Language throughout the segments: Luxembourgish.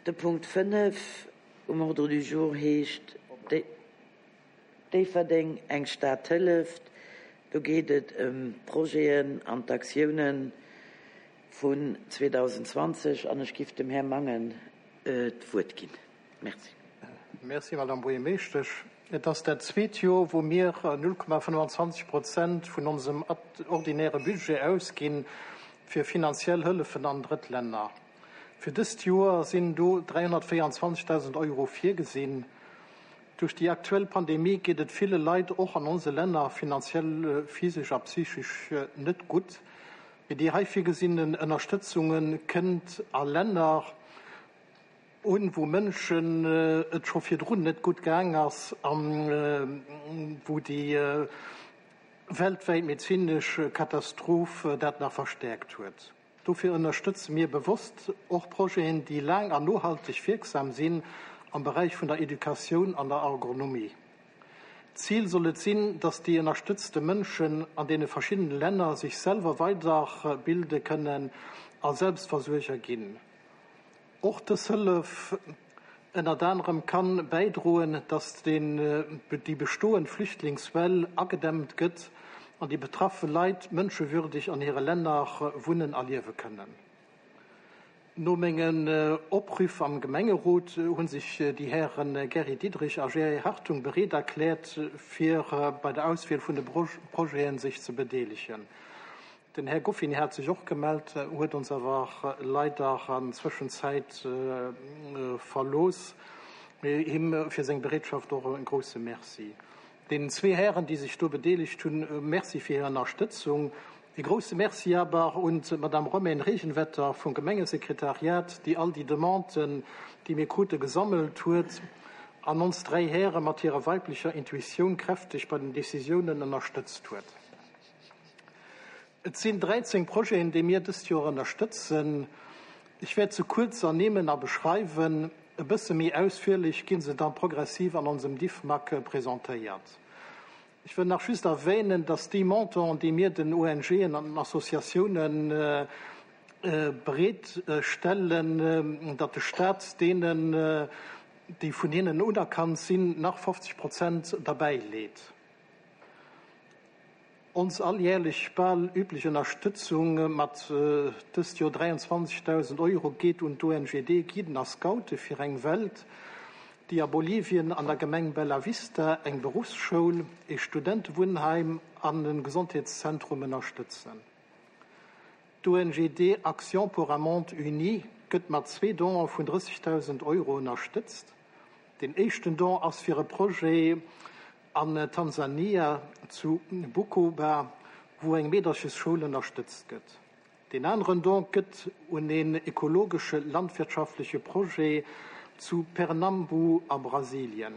De Punkt 5 um Ordre du jour heescht Déifferdeng, eng Stad hëlleft. Do geet et ëm d'Projeten an d'Aktiounen vun 2020 an ech giff dem Här Mangen d'Wuert ginn. Merci. Merci, Madame Buergermeeschtesch. Et ass dat zweet Joer, wou mir 0,25 Prozent vun onsem ordinäre Budget ausginn fir finanziell Hëllefen an Drëttlänner. Fir dëst Joer sinn do 324.000 Euro virgesinn. Duerch déi aktuell Pandemie geet et ville Leit och an onse Länner finanziell, physesch a psychesch net gutt. Mee déi hei virgesinnen Ënnerstëtzunge kënnt a Länner un, wou Mënschen et scho virdrun net gutt gaang ass a wou déi weltwäit medezinesch Katastroph dat nach verstäerkt huet. Dofir ënnerstëtze mir bewosst och Projeten, déi laang an nohalteg wierksam sinn am Beräich vun der Educatioun an der Agronomie. Zil soll et sinn, dass déi ënnerstëtzte Mënschen an deene verschiddene Länner sech selwer weiderbilde kënnen a Selbstversuerger ginn. Och dës Hëllef ënnert anerem kann bäidroen, dass déi bestoend Flüchtlingswell agedämmt gëtt an déi betraffe Leit mënschewürdeg an hire Länner wunnen a liewe kënnen. No mengen Oprüff am Gemengerot hu sech déi Häre Gary Diderich a Jerry Hartung bereet erkläert, fir bei der Auswiel vun de Projeten sech ze bedeelegen. Den Här Goffin hat sech och gemellt, huet ons awer leider an Zwëschenzäit verlooss. Mee him fir seng Bereetschaft och e grousse Merci. Deenen zwee Hären, déi sech do bedeelegt hunn, Merci fir hir Ënnerstëtzung. E grousse Merci awer un d'Madame Romaine Regenwetter vum Gemengesekretariat, déi all déi Demanden, déi mir krute, gesammelt huet an ons dräi Häre mat hirer weiblecher Intuitioun kräfteg bei den Decisiounen ënnerstëtzt huet. Et sinn 13 Projeten, déi mir dëst Joer ënnerstëtzen. Ech wäert se kuerz ernimmen a beschreiwen. E bësse méi ausführlech gi se dann progressiv an onsem Diffmag presentéiert. Ech wëll nach just erwähnen, dass déi Montanten, déi mir den ONGen an den Associatiounen bereet stellen, datt de Stat deenen, déi vun hinnen unerkannt sinn, nach 50 Prozent derbäi leet. Ons alljährlech bal üblech Ënnerstëtzung mat dëst Joer 23.000 Euro geet un d'ONGD Guiden a Scoute fir eng Welt, déi a Bolivien an der Gemeng Bella Vista eng Beruffsschoul, ee Studentewunnheim an e Gesondheetszentrum ënnerstëtzen. D'ONGD Action pour un monde uni gëtt mat zwee Donen vun 30.000 Euro ënnerstëtzt. Deen éischten Don ass fir e Projet An Tansania, zu Bukoba, wou eng Meederchesschoul ënnerstëtzt gëtt. Deen aneren Don gëtt un een ekologesche landwirtschaftleche Projet zu Pernambu a Brasilien.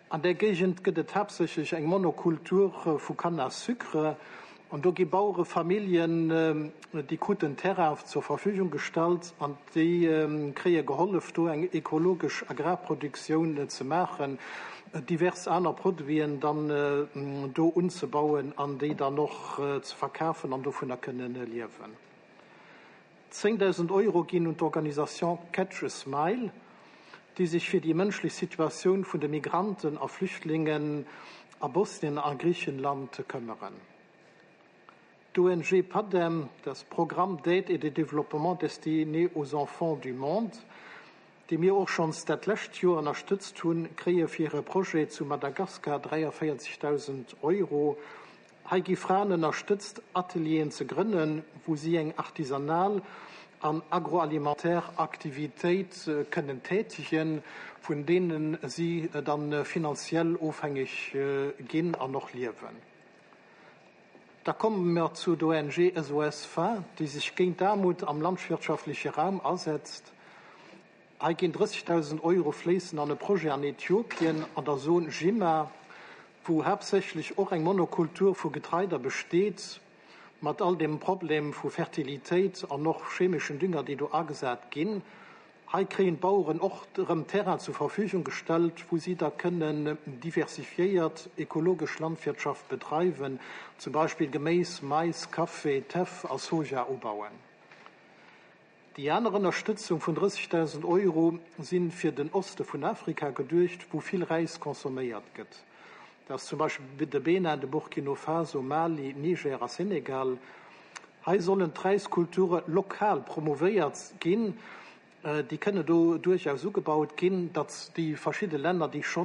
An där Géigend gëtt et haaptsächlech eng Monokultur vu Canne à sucre an do gi Bauerefamilljen, déi kruten Terrain zur Verfügung gestallt an déi kréie gehollef, do eng ekologesch Agrarproduktioun ze maachen, divers aner Produiten dann do unzebauen an déi dann och ze verkafen an dovunner kënnen liewen. 10.000 Euro ginn un d'Organisation Catch a Smile, déi sech fir déi mënschlech Situatioun vun de Migranten a Flüchtlingen a Bosnien a Griichenland këmmeren. D'ONG PADEM, das Programme d'aide et de développement destiné aux enfants du monde, déi mir och schonns dat lescht Joer ënnerstëtzt hunn, kréie fir hire Projet zu Madagaskar 43.000 Euro. Hei gi Fraen ënnerstëtzt, Atelieren ze grënnen, wou si eng artisanal an agroalimentaire Aktivitéit kënnen tätegen, vun deene si dann finanziell ofhängeg ginn an och liewen. Da komme mer zu der ONG SOS Faim, déi sech géint d'Aarmut am landwirtschaftleche Raum asetzt. Hei ginn 30.000 Euro fléissen an e Projet an Äthiopien an der Zon Jimma, wou haaptsächlech och eng Monokultur vu Getreider besteet, mat all dem Problem vu Fertilitéit an och chemeschen Dünger, déi do agesat ginn. Hei kréien d'Baueren och erëm Terrain zur Verfügung gestallt, wou si da kënnen diversifiéiert ekologesch Landwirtschaft bedreiwen, zum Beispill Geméis, Mais, Café, Teff a Soja ubauen. Déi aner Ënnerstëtzung vun 30.000 Euro si fir den Oste vun Afrika geduecht, wou vill Räis consomméiert gëtt. Dat ass zum Beispill de Benin, de Burkino Faso, Mali, Niger a Senegal. Hei sollen d'Räiskulture lokal promouvéiert ginn. Déi kënne do duerchaus ugebaut ginn, datt déi verschidde Länner, déi scho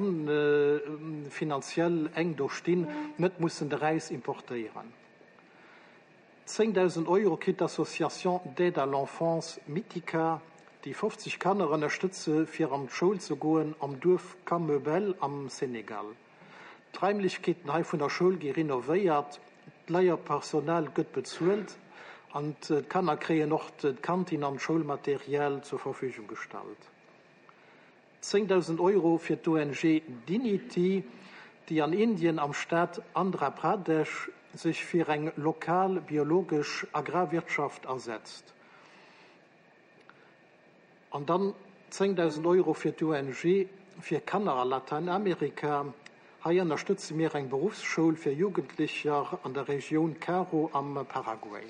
finanziell enk do stinn, net mussen de Räis importéieren. 10.000 Euro kritt d'Association d'aide à l'enfance Mitika, déi 50 Kanner ënnerstëtze fir an d'Schoul ze goen am Duerf Kameubel am Senegal. D'Raimlechkeeten hei vun der Schoul gi renovéiert, d'Leierpersonal gëtt bezuelt an d'Kanner kréien och d'Kantin an d'Schoulmaterial zur Verfügung gestallt. 10.000 Euro fir d'ONG Dignity, déi an Indien am Staat Andhra Pradesh sech fir eng lokal biologesch Agrarwirtschaft asetzt. An dann 10.000 Euro fir d'ONG fir Kanner a Latäinamerika. Hei ënnerstëtze mir eng Beruffsschoul fir Jugendlecher an der Regioun Caro am Paraguay.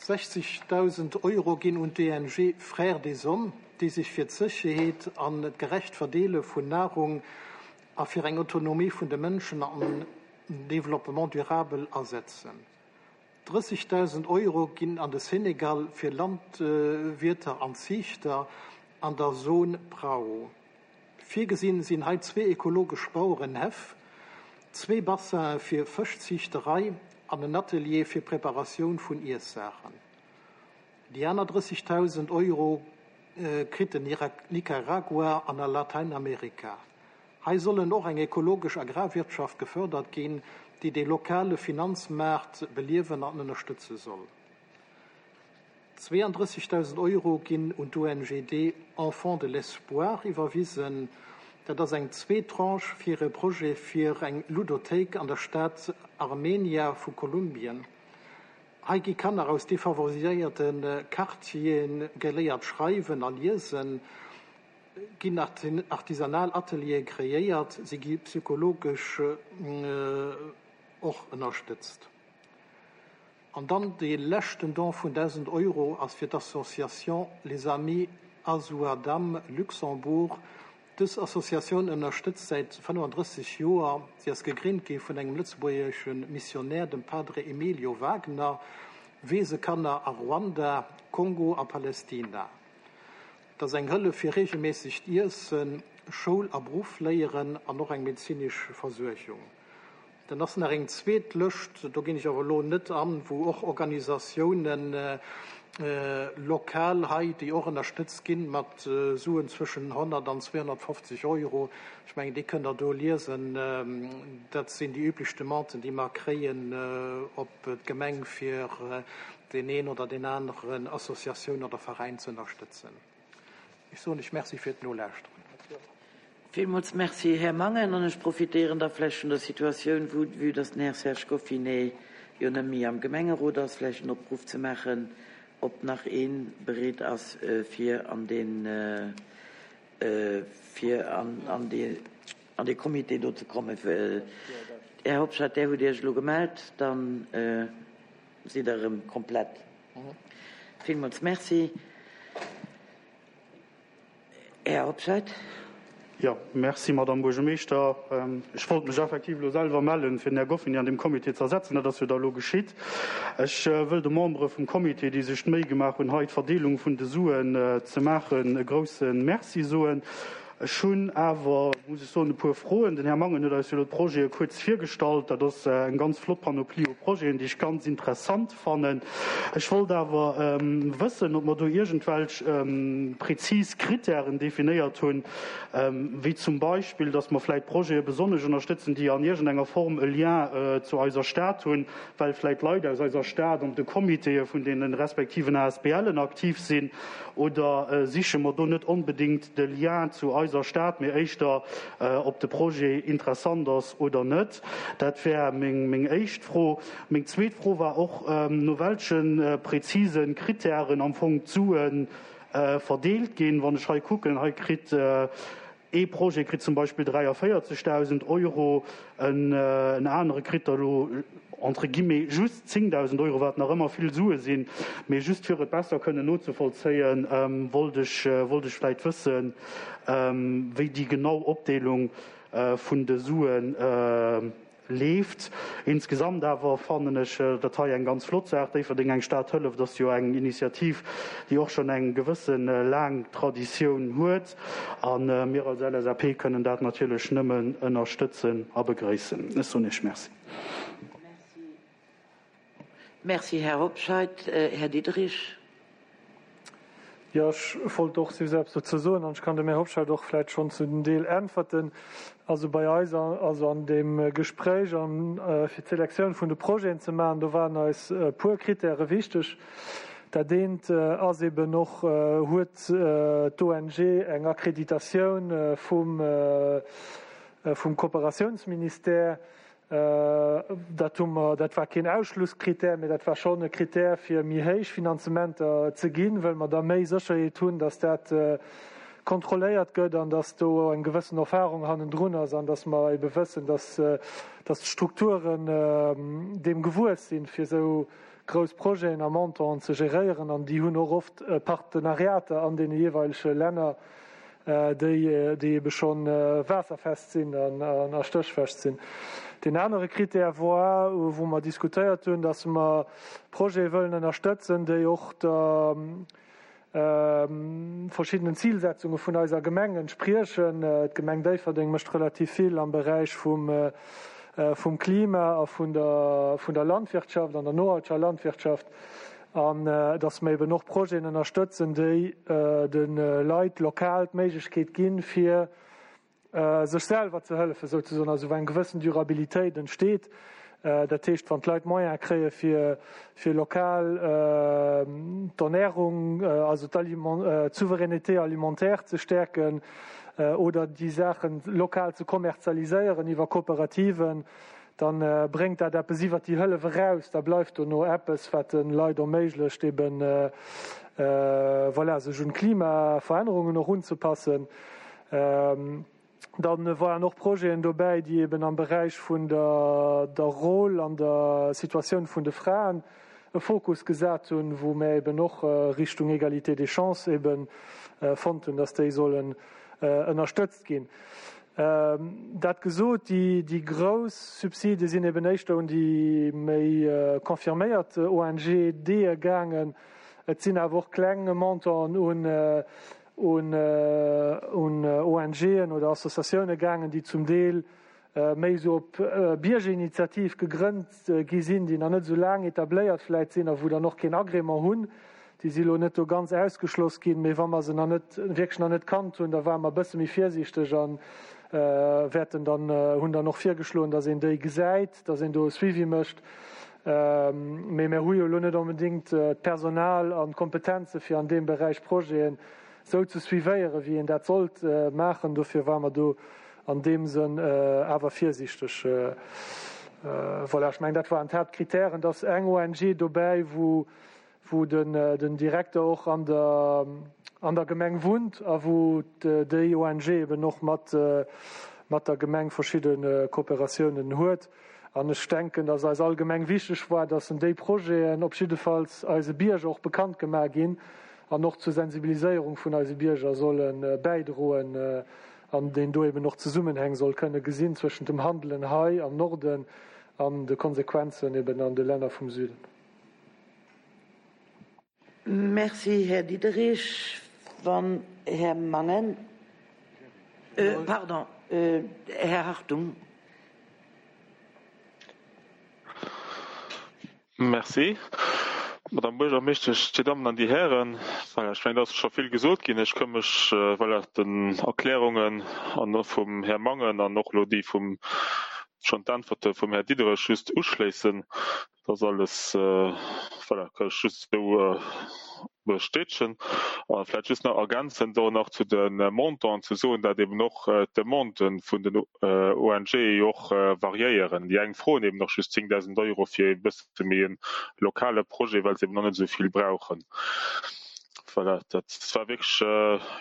60.000 Euro ginn un d'ONG Frères des Hommes, déi sech fir d'Sécherheet an d'gerecht Verdeele vun Nahrung a fir eng Autonomie vun de Mënschen an Développement durable asetzen. 30.000 Euro ginn an de Senegal fir Landwierter an Ziichter an der Zone Prao. Virgesinn sinn hei zwee ekologesch Bauerenhäff, zwee Bassinen fir Fëschziichterei an en Atelier fir Preparatioun vun Iessaachen. Déi aner 30.000 Euro kritt den Nicaragua an a Latäinamerika. Hei sollen och eng ekologesch Agrarwirtschaft gefërdert ginn, déi de lokale Finanzmaart beliewen an ënnerstëtze soll. 32.000 Euro ginn un d'ONGD Enfants de l'Espoir iwwerwisen. Dat ass eng zweet Tranche fir e Projet fir eng Ludothéik an der Stad Armenia vu Kolumbien. Hei gi Kanner aus defavoriséierte Quartiere geléiert schreiwen a liesen, ginn artisanal Ateliere kreéiert, si gi psychologesch och ënnerstëtzt. An dann dee leschten Don vun 1.000 Euro ass fir d'Association Les Amis Azuadam Luxembourg. Dës Associatioun ënnerstëtzt säit 35 Joer, si ass gegrinnt gi vun engem lëtzebuergesche Missionär, dem Padre Emilio Wagner, Weesekanner a Ruanda, Kongo a Palestina. Et ass eng Hëllef fir reegelméissegt Iessen, Schoul a Beruff léieren an och eng medezinesch Versuergung. Dann ass nach eng zweet Lëscht, do ginn ech awer elo net an, wou och Organisatiounen lokal hei, déi och ënnerstëtzt ginn mat Suen zwëschen 100 an 250 Euro. Ech mengen, déi kënnt Der do liesen. Dat sinn déi üblech Demanden, déi mer kréien op d'Gemeng, fir deen een oder deen aneren Associatioun oder Veräin ze ënnerstëtzen. Ech soen lech Merci fir d'Nolauschteren. Villmools Merci, Här Mangen. An ech profitéieren da vläicht vun der Situatioun, vu vue dass den Här Serge Goffinet jo net méi am Gemengerot ass, vläicht en Opruff ze maachen, ob nach ee bereet ass, fir an deen, fir an an dee Comité do ze kommen. Här Hobscheit, Där hutt Iech elo gemellt. Dann sidd Der erëm komplett. Villmools Merci. Här Hobscheit. Jo, merci, Madamm Buergermeeschter. Ech wollt mech effektiv elo selwer mellen, fir den Här Goffin an deem Comité ze ersetzen. Dat ass jo da elo geschitt. Ech wëll de Membere vum Comité, déi sech d'Méi gemaach hunn, hei d'Verdeelung vun de Suen ze maachen, e grouse Merci soen. Ech hunn awer, muss ech soen, e puer Froen. Den Här Mangen huet eis jo elo d'Projete kuerz virgestallt. Dat ass eng ganz flott Panoplie u Projeten, déi ech ganz interessant fannen. Ech wollt awer wëssen, ob mer do iergendwelch prezis Kritären definéiert hunn, wéi zum Beispill, dass mer vläicht Projete besonnesch ënnerstëtzen, déi an iergendenger Form e Lien zu eiser Stad hunn, well vläicht Leit aus eiser Stad an de Comitéë vun deene respektiven ASBLen aktiv sinn. Oder siche mer do net onbedéngt de Lien zu eiser Stad, mee éischter, ob de Projet interessant ass oder net? Dat wär meng éischt Fro. Meng zweet Fro war och, no welche präzise Kritären am Fong d'Sue verdeelt ginn. Wann ech hei kucken, hei kritt. Ee Projet kritt zum Beispill 43.000 Euro, en anere kritt der elo entre guillemets just 10.000 Euro, wat nach ëmmer vill Sue sinn. Mee just fir et besser kënnen nozevollzéien, wollt ech wollt ech vläicht wëssen, wéi déi genau Opdeelung vun de Suen leeft. Insgesamt awer fannen ech dat hei eng ganz flott Saach. Déifferdeng, eng Stad hëlleft ass jo eng Initiativ, déi och schonn eng gewësse laang Traditioun huet. A mir als LSAP kënnen dat natierlech nëmmen ënnerstëtzen a begréissen. Ech soen Iech Merci. Merci, Här Hobscheit. Här Diderich. Jo, ech wollt och just eppes dozou soen an ech kann dem Här Hobscheit och vläicht schonn zu den Deel äntwerten. Also bei eis, also an deem Gespréich an fir d'Selektioun vun de Projeten ze maachen, do waren eis e puer Kritäre wichteg. Dat eent ass eben och, huet d'ONG eng Akkreditatioun vum vum Kooperatiounsministère? Dat hu mer, dat war keen Ausschlusskritär, mee dat war schonn e Kritär, fir méi héich Finanzementer ze ginn, wëll mer da méi Sécherheet hunn, datt dat kontrolléiert gëtt an datt do eng gewëssen Erfahrung hannendrun ass an datt mer ebe wëssen, datt d'Strukturen deem gewuess sinn, fir esou grouss Projeten a Montanten ze geréieren. An déi hunn och oft Partenariater an deene jeeweilege Länner, déi déi ebe scho waasserfest sinn an a stéchfest sinn. Deen anere Critère war, wou mer diskutéiert hunn, datt mer Projete wëllen ënnerstëtzen, déi och der verschiddenen Zilsetzunge vun eiser Gemeng entspriechen. D'Gemeng Déifferdeng mécht relativ vill am Beräich vum vum Klima a vun der vun der Landwirtschaft an der nohalteger Landwirtschaft. An dass mer eben och Projeten ënnerstëtzen, déi de Leit lokal d'Méiglechkeet ginn, fir sech selwer ze hëllefen, souzesoen, also wou eng gewëssen Durabilitéit entsteet. Dat heescht, wann d'Leit Moyene kréie fir, fir lokal d'Ernährung, also d'Souveraineté alimentaire ze stäerken oder déi Saache lokal ze kommerzialiséieren iwwer Kooperativen, Dann bréngt dat eppes iwwert déi Hëllef eraus, da bleift dono eppes, wat de Leit erméiglecht, eben, voilà, sech un d'Klimaverännerungen och unzepassen. Dann waren och Projeten dobäi, déi eben am Beräich vun der der Rôle an der Situatioun vun de Fraen e Fokus gesat hunn, wou mär eben och Richtung Égalité des chances eben fonnt hunn, dass déi sollen ënnerstëtzt ginn. Dat gesot, déi grouss Subside sinn eben éischter un déi méi confirméiert ONGDe gaangen. Et sinn awer och kleng Montanten un ONGen oder Associatioune gaangen, déi zum Deel méi esou op Biergerinitiativ gegrënnt gi sinn, déi nach net esou laang etabléiert vläit sinn a wou dann och keen Agrément hunn. Déi si elo net do ganz ausgeschloss ginn, mee wa mer se nach net, wierklech nach net kannt hunn, da ware mer e bësse méi virsiichteg a wäerten dann, hunn dann och virgeschloen, datt een déi gesäit, datt een do e Suivi mécht. Mee mir hu jo elo net onbedéngt d'Personal an d'Kompetenze fir an deem Beräich Projeten esou ze suivéieren, wéi een dat sollt maachen. Dofir ware mer do an deem Sënn awer virsiichteg. Voilà, ech mengen, dat waren d'Haaptkritären. Et ass eng ONG dobäi, wou, wou den, den Direkter och an der, an der Gemeng wunnt a wou déi ONG eben och mat, mat der Gemeng verschidde Kooperatiounen huet. An ech denken, dass eis allgemeng wichteg war, dass déi Projeten op jiddefalls eise Bierger och bekannt gemaach ginn an och zur Sensibiliséierung vun eise Bierger solle bäidroen an deen do eben och Zesummenhäng soll kënne gesinn zwëschent dem Handelen hei am Norden an de Konsequenzen eben an de Länner vum Süden. Merci, Här Diderich. Wann Här Mangen, pardon, Här Hartung. Merci, Madame Buergermeeschtesch, Dir Dammen an Dir Hären. Voilà, ech mengen, et ass scho vill gesot ginn. Ech ka mech, voilà, den Erklärungen an vum Här Mangen an och elo déi vum, schonn d'Äntwerte vum Här Diderich just uschléissen. Dat ass alles, voilà, kann ech just esou bestätegen. A vläicht just nach ergänzend och nach zu de Montanten ze soen, dat eben och d'Demanden vun den ONGe jo och variéieren. Déi eng froen eben och just 10.000 Euro fir e bësse méi e lokale Projet, well se eben och net esou vill brauchen. Voilà, dat war wierklech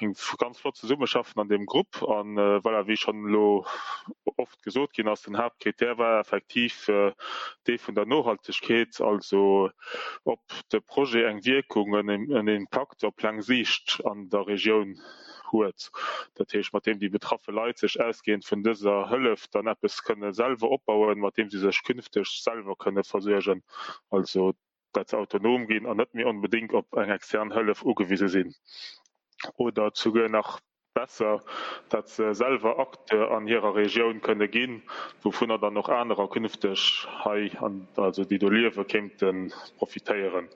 eng ganz flott Zesummeschaffen an deem Grupp. An voilà, wéi schonn elo oft gesot ginn ass, den Haaptkrittär war effektiv dee vun der Nohaltegkeet, also ob de Projet eng Wierkung, en Impakt op laang Siicht an der Regioun huet. Dat heescht, mat deem déi betraffe Leit sech ausgehend vun dëser Hëllef dann eppes kënne selwer opbauen, mat deem si sech künfteg selwer kënne versuergen. Also dat se autonom ginn an net méi onbedéngt op eng extern Hëllef ugewise sinn oder souguer nach besser, dat se selwer Acteur an hirer Regioun kënne ginn, wouvunner dann och anerer künfteg hei, also déi do liewen, kéinte profitéieren.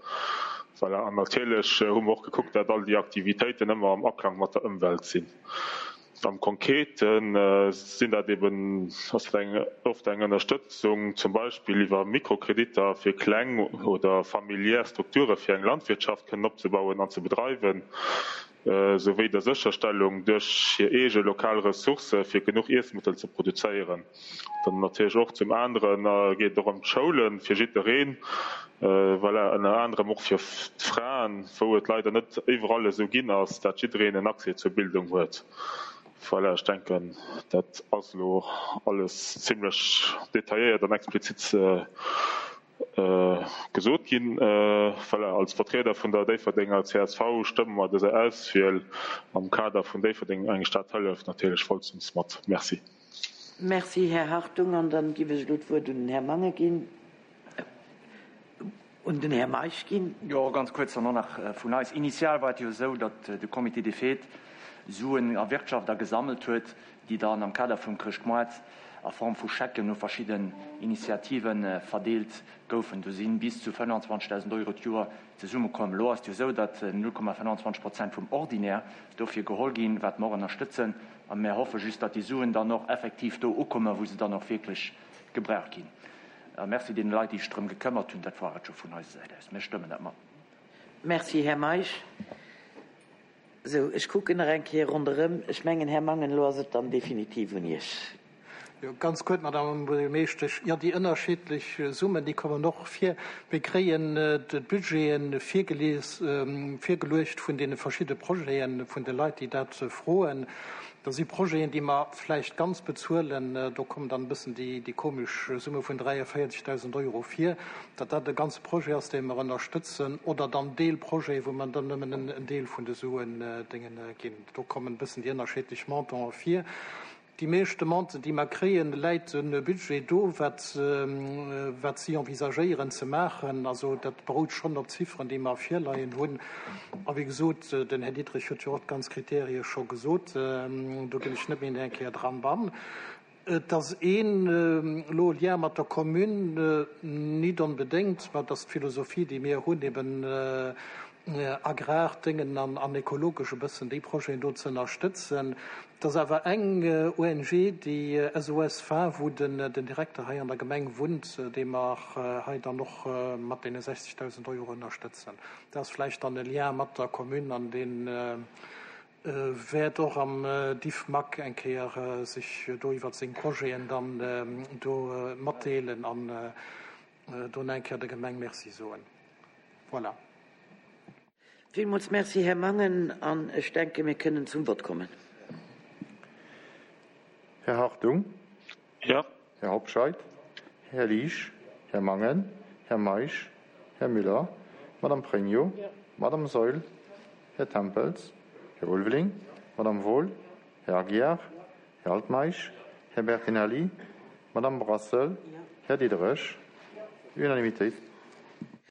Voilà. An natierlech hu mer och gekuckt, dat all déi Aktivitéiten ëmmer am Aklang mat der Ëmwelt sinn. Am Konkrete sinn dat eben, ass dat eng, oft eng Ënnerstëtzung zum Beispill iwwer Mikrokreditter fir kleng oder familiär Strukture fir eng Landwirtschaft kënnen opzebauen an ze bedreiwen, souwéi der Sécherstellung duerch hir eege lokal Ressourcë fir genuch Iessmëttel ze produzéieren. Dann natierlech och zum anere geet et och ëm d'Schoulen fir jiddereen, voilà, ënner anerem och fir d'Fraen, wou et leider net iwwerall esou ginn ass, dat jiddereen en Accès zur Bildung huet. Voilà, ech denken, dat ass elo alles zimlech detailléiert an explizit gesot ginn. Voilà, als Vertrieder vun der Déifferdenger csv stëmme mer dëser Auswiel am Kader vun Déifferdeng eng Stad hëlleft natierlech vollstens mat. Merci. Merci, Här Hartung. An dann giff ech elo d'Wuert un den Här Mangen ginn, un den Här Meisch ginn. Jo, ganz kuerz dann och nach vun eis. Initial war et jo esou, datt de Comité des Fêtes Suen erwirtschaft a gesammelt huet, déi dann am Kader vum Chrëschtmoart a Form vu Schecken u verschidden Initiative verdeelt goufen. Do si bis zu 25.000 Euro d'Joer zesummekomm. Elo ass et jo esou, datt 0,25 Prozent vum Ordinaire dofir geholl ginn, wat mer och ënnerstëtzen. A mär hoffe just, datt déi Suen dann och effektiv do ukommen, wou se dann och wierklech gebraucht ginn. A Merci deene Leit, déi sech drëm gekëmmert hunn. Dat war et scho vun eiser Säit aus. Mir stëmmen dat mat. Merci, Här Meisch. Sou, ech kucken nach eng Kéier ronderëm. Ech mengen, Här Mangen, elo ass et dann definitiv un Iech. Jo, ganz kuerz, Madame Buergermeeschtesch. Jo, déi ënnerschiddlech Summen, déi kommen och vir. Mir kréien d'Budgete virgelies, virgeluecht vun deene verschidde Projeten, vun de Leit, déi dat froen. Da si Projeten, déi mer vläicht ganz bezuelen. Do kommen dann e bëssen déi, déi komesch Summe vun 43.000 Euro vir, datt dat e ganze Projet ass, dee mer ënnerstëtzen, oder dann Deelprojete, wou mer dann nëmmen en Deel vun de Suen déngen ginn. Do kommen e bëssen déi ënnerschiddlech Montanten vir. Déi meescht Demanden, déi mer kréien, läit e Budget do, wat, wat si envisagéieren ze maachen. Also dat berout schonn op Zifferen, déi mer virleien hunn. A wéi gesot, den Här Diderich huet jo och d'ganz Kriterie scho gesot, do ginn ech net méi eng Kéier dran an. Et ass een elo Lien mat der Commune, nit onbedéngt, mä et ass d'Philosophie, déi mir hunn, eben Agrar, Déngen an ekologesch e bëssen déi Projeten do ze ënnerstëtzen. Et ass awer eng ONG, déi SOS Faim, wou den Direkter hei an der Gemeng wunnt, dee mer hei dann och mat deene 60.000 Euro ënnerstëtzen. Dat ass vläicht dann e Lien mat der Commune an dee wäert och am Diffmag eng Kéier sech do iwwert seng Projeten dann do matdeelen an do nach eng Kéier der Gemeng Merci soen. Voilà. Villmools Merci, Här Mangen, an ech denke mir kënnen zum Vott kommen. Här Hartung. Jo. Här Hobscheit. Här Liesch. Här Mangen. Här Meisch. Här Müller. Madame Pregno. Madame Saeul. Här Tempels. Här Ulveling. Madame Wohl. Här Aguiar. Här Altmeisch. Här Bertinelli. Madame Brassel. Här Diderich. Unanimitéit.